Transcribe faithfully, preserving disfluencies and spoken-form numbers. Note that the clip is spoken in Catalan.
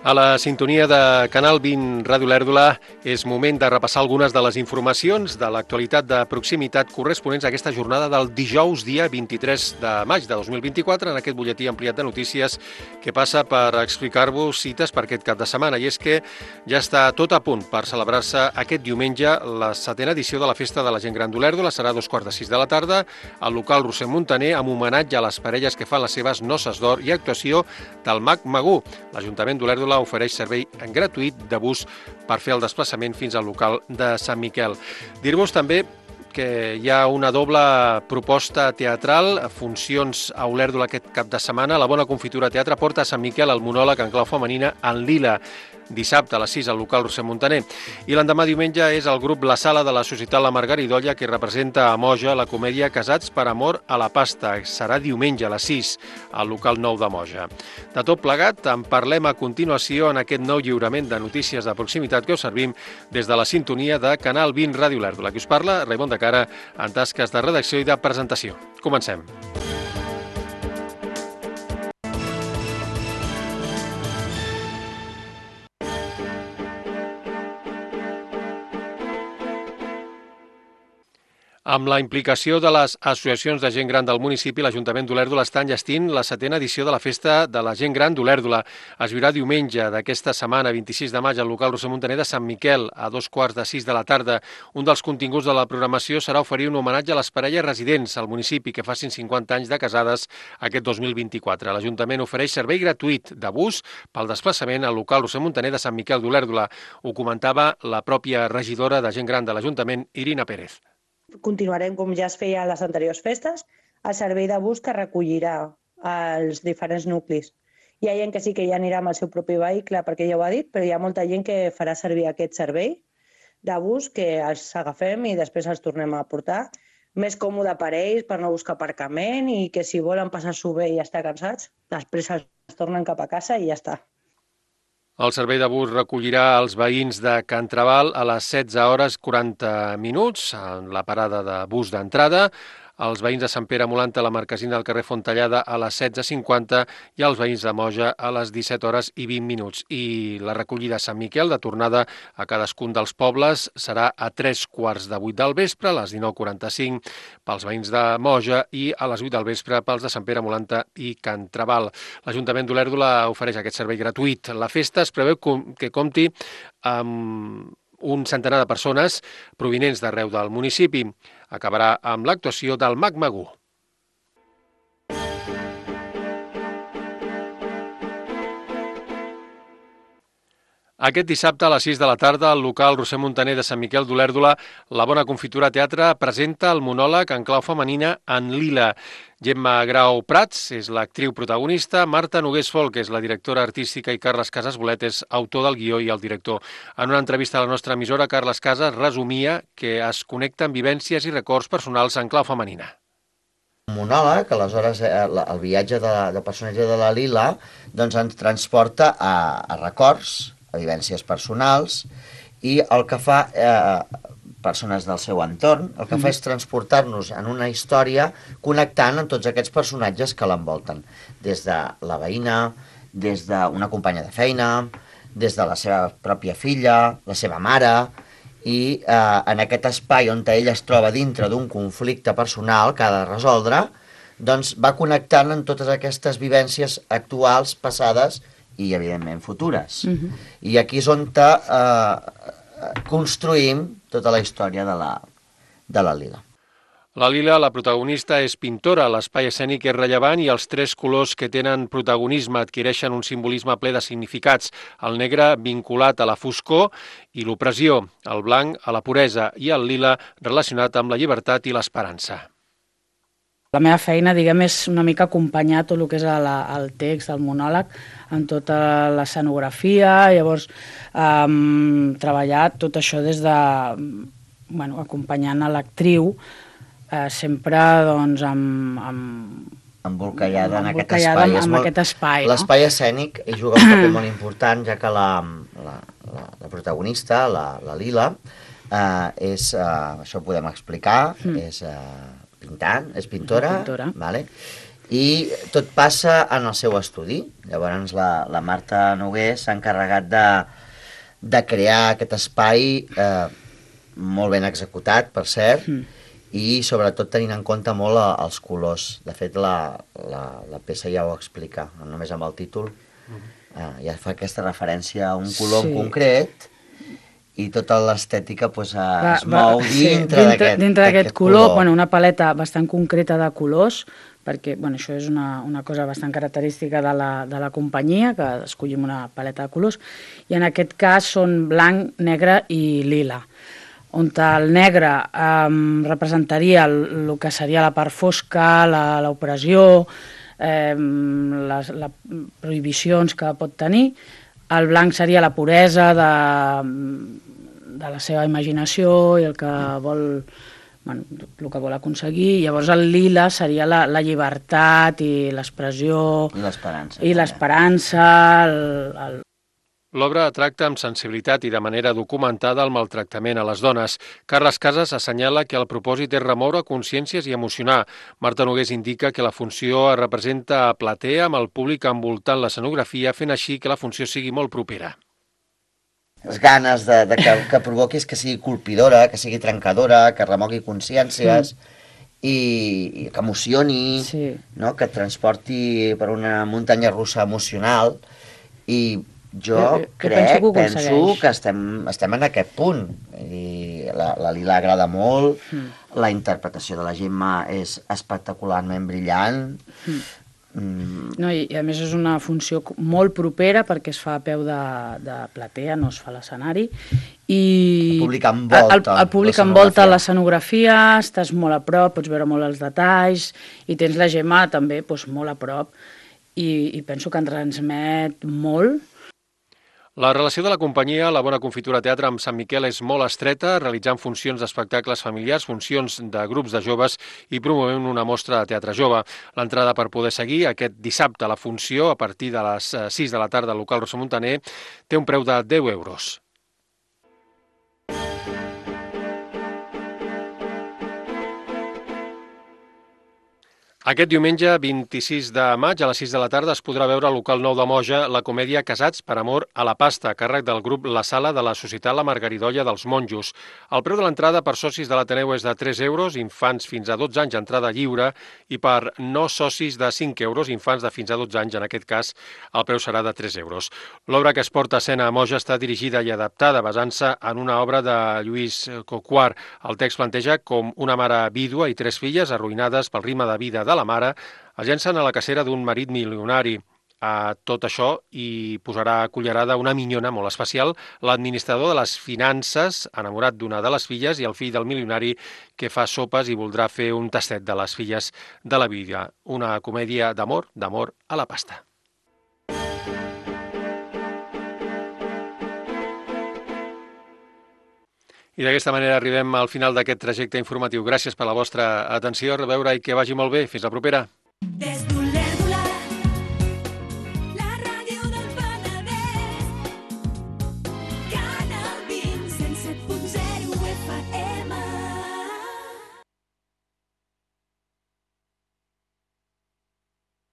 A la sintonia de Canal vint Ràdio Lèrdula és moment de repassar algunes de les informacions de l'actualitat de proximitat corresponents a aquesta jornada del dijous, dia vint-i-tres de maig de dos mil vint-i-quatre, en aquest butlletí ampliat de notícies que passa per explicar-vos cites per aquest cap de setmana. I és que ja està tot a punt per celebrar-se aquest diumenge la setena edició de la Festa de la Gent Gran d'Olèrdola. Serà a dos quarts de sis de la tarda al local Roser Muntaner, amb homenatge a les parelles que fan les seves noces d'or i actuació del Mag Magú. L'Ajuntament d'Olèrdola ofereix servei gratuït de bus per fer el desplaçament fins al local de Sant Miquel. Dir-vos també que hi ha una doble proposta teatral, funcions a Olèrdola aquest cap de setmana. La Bona Confitura Teatre porta a Sant Miquel el monòleg en clau femenina en lila, dissabte a les sis al local Roser Muntaner. I l'endemà diumenge és el grup La Sala de la Societat La Margaridolla que representa a Moja la comèdia Casats per amor a la pasta. Serà diumenge a les sis al local nou de Moja. De tot plegat, en parlem a continuació en aquest nou lliurament de notícies de proximitat que us servim des de la sintonia de Canal vint Ràdio Lèrdula. Qui us parla, Raimon de Cara, en tasques de redacció i de presentació. Comencem. Amb la implicació de les associacions de gent gran del municipi, l'Ajuntament d'Olèrdola està enllestint la setena edició de la Festa de la Gent Gran d'Olèrdola. Es viurà diumenge d'aquesta setmana, vint-i-sis de maig, al local Roser Muntaner de Sant Miquel, a dos quarts de sis de la tarda. Un dels continguts de la programació serà oferir un homenatge a les parelles residents al municipi que facin cinquanta anys de casades aquest dos mil vint-i-quatre. L'Ajuntament ofereix servei gratuït de bus pel desplaçament al local Roser Muntaner de Sant Miquel d'Olèrdola. Ho comentava la pròpia regidora de gent gran de l'Ajuntament, Irina Pérez. Continuarem, com ja es feia a les anteriors festes, el servei de bus que recollirà els diferents nuclis. Hi ha gent que sí que ja anirà amb el seu propi vehicle, perquè ja ho ha dit, però hi ha molta gent que farà servir aquest servei de bus que els agafem i després els tornem a portar. Més còmode per ells, per no buscar aparcament i que si volen passar-s'ho bé i estar cansats, després els tornen cap a casa i ja està. El servei de bus recollirà els veïns de Can Trabal a les setze hores quaranta minuts, en la parada de bus d'entrada, els veïns de Sant Pere Molanta a la marquesina del carrer Fontellada a les setze cinquanta i els veïns de Moja a les disset hores i vint minuts. I la recollida a Sant Miquel, de tornada a cadascun dels pobles, serà a tres quarts de vuit del vespre, a les dinou quaranta-cinc pels veïns de Moja i a les vuit del vespre pels de Sant Pere Molanta i Can Trabal. L'Ajuntament d'Olèrdola ofereix aquest servei gratuït. La festa es preveu que compti amb un centenar de persones provinents d'arreu del municipi. Acabarà amb l'actuació del Mag Magú. Aquest dissabte a les sis de la tarda, al local Roser Muntaner de Sant Miquel d'Olèrdola, la Bona Confitura Teatre presenta el monòleg en clau femenina en lila. Gemma Grau Prats és l'actriu protagonista, Marta Nogués Folk és la directora artística i Carles Casas Bolet és autor del guió i el director. En una entrevista a la nostra emissora, Carles Casas resumia que es connecten vivències i records personals en clau femenina. Un monòleg, aleshores el viatge de, de personatge de la Lila doncs ens transporta a, a records, a vivències personals, i el que fa eh, persones del seu entorn, el que fa és transportar-nos en una història connectant amb tots aquests personatges que l'envolten, des de la veïna, des d'una companya de feina, des de la seva pròpia filla, la seva mare, i eh, en aquest espai on ella es troba dintre d'un conflicte personal que ha de resoldre, doncs va connectant amb totes aquestes vivències actuals, passades i, evidentment, futures. Uh-huh. I aquí és on eh, construïm tota la història de la, de la Lila. La Lila, la protagonista, és pintora, l'espai escènic és rellevant i els tres colors que tenen protagonisme adquireixen un simbolisme ple de significats. El negre vinculat a la foscor i l'opressió, el blanc a la puresa i el lila relacionat amb la llibertat i l'esperança. La meva feina, diguem, és una mica acompanyar tot el que és el, el text, el monòleg, amb tota l'escenografia, llavors eh, treballar tot això des de, bueno, acompanyant a l'actriu, eh, sempre doncs amb... amb embolcallada en aquest embolcallada espai. En, en aquest espai, no? L'espai escènic juga un paper molt important, ja que la, la, la, la protagonista, la, la Lila, eh, és, eh, això ho podem explicar, mm. és... Eh, pintant, és pintora, pintora. Vale? I tot passa en el seu estudi. Llavors la, la Marta Noguer s'ha encarregat de, de crear aquest espai eh, molt ben executat, per cert, mm. i sobretot tenint en compte molt a, els colors. De fet, la, la, la peça ja ho explica, només amb el títol. Mm. Eh, ja fa aquesta referència a un color sí. en concret, i tota l'estètica pues, va, es mou va, dintre sí, d'aquest dintre d'aquest color, color. Bueno, una paleta bastant concreta de colors, perquè bueno, això és una, una cosa bastant característica de la, de la companyia, que escollim una paleta de colors, i en aquest cas són blanc, negre i lila, on el negre eh, representaria el, el que seria la part fosca, l'opressió, eh, les, les prohibicions que pot tenir. El blanc seria la puresa de, de la seva imaginació i el que vol, bueno, el que vol aconseguir. Llavors el lila seria la, la llibertat i l'expressió i l'esperança. I l'esperança, el, el... L'obra tracta amb sensibilitat i de manera documentada el maltractament a les dones. Carles Casas assenyala que el propòsit és remoure consciències i emocionar. Marta Nogués indica que la funció es representa a platea amb el públic envoltant l'escenografia, fent així que la funció sigui molt propera. Les ganes de, de que, que provoquis que sigui colpidora, que sigui trencadora, que remogui consciències mm. i, i que emocioni, sí. no? Que et transporti per una muntanya russa emocional i jo, jo, jo crec, penso, que, penso que estem, estem en aquest punt. I la, la Lila agrada molt, mm. la interpretació de la Gemma és espectacularment brillant. Mm. Mm. No, i, I a més és una funció molt propera perquè es fa a peu de, de platea, no es fa a l'escenari. I el públic envolta, el, el públic envolta l'escenografia, estàs molt a prop, pots veure molt els detalls, i tens la Gemma també doncs, molt a prop, i, i penso que en transmet molt. La relació de la companyia, la Bona Confitura Teatre amb Sant Miquel és molt estreta, realitzant funcions d'espectacles familiars, funcions de grups de joves i promovent una mostra de teatre jove. L'entrada per poder seguir aquest dissabte la funció a partir de les sis de la tarda al local Rosa Montaner té un preu de deu euros. Aquest diumenge, vint-i-sis de maig, a les sis de la tarda, es podrà veure al local nou de Moja la comèdia Casats per amor a la pasta, a càrrec del grup La Sala de la Societat La Margaridolla dels Monjos. El preu de l'entrada per socis de l'Ateneu és de tres euros, infants fins a dotze anys, entrada lliure, i per no socis de cinc euros, infants de fins a dotze anys, en aquest cas, el preu serà de tres euros. L'obra que es porta a escena a Moja està dirigida i adaptada, basant-se en una obra de Lluís Coquart. El text planteja com una mare vídua i tres filles arruïnades pel ritme de vida de la mare es llencen a la cacera d'un marit milionari. A tot això hi posarà cullerada una minyona molt especial, l'administrador de les finances, enamorat d'una de les filles, i el fill del milionari que fa sopes i voldrà fer un tastet de les filles de la vida. Una comèdia d'amor, d'amor a la pasta. I d'aquesta manera arribem al final d'aquest trajecte informatiu. Gràcies per la vostra atenció, a reveure i que vagi molt bé. Fins la propera.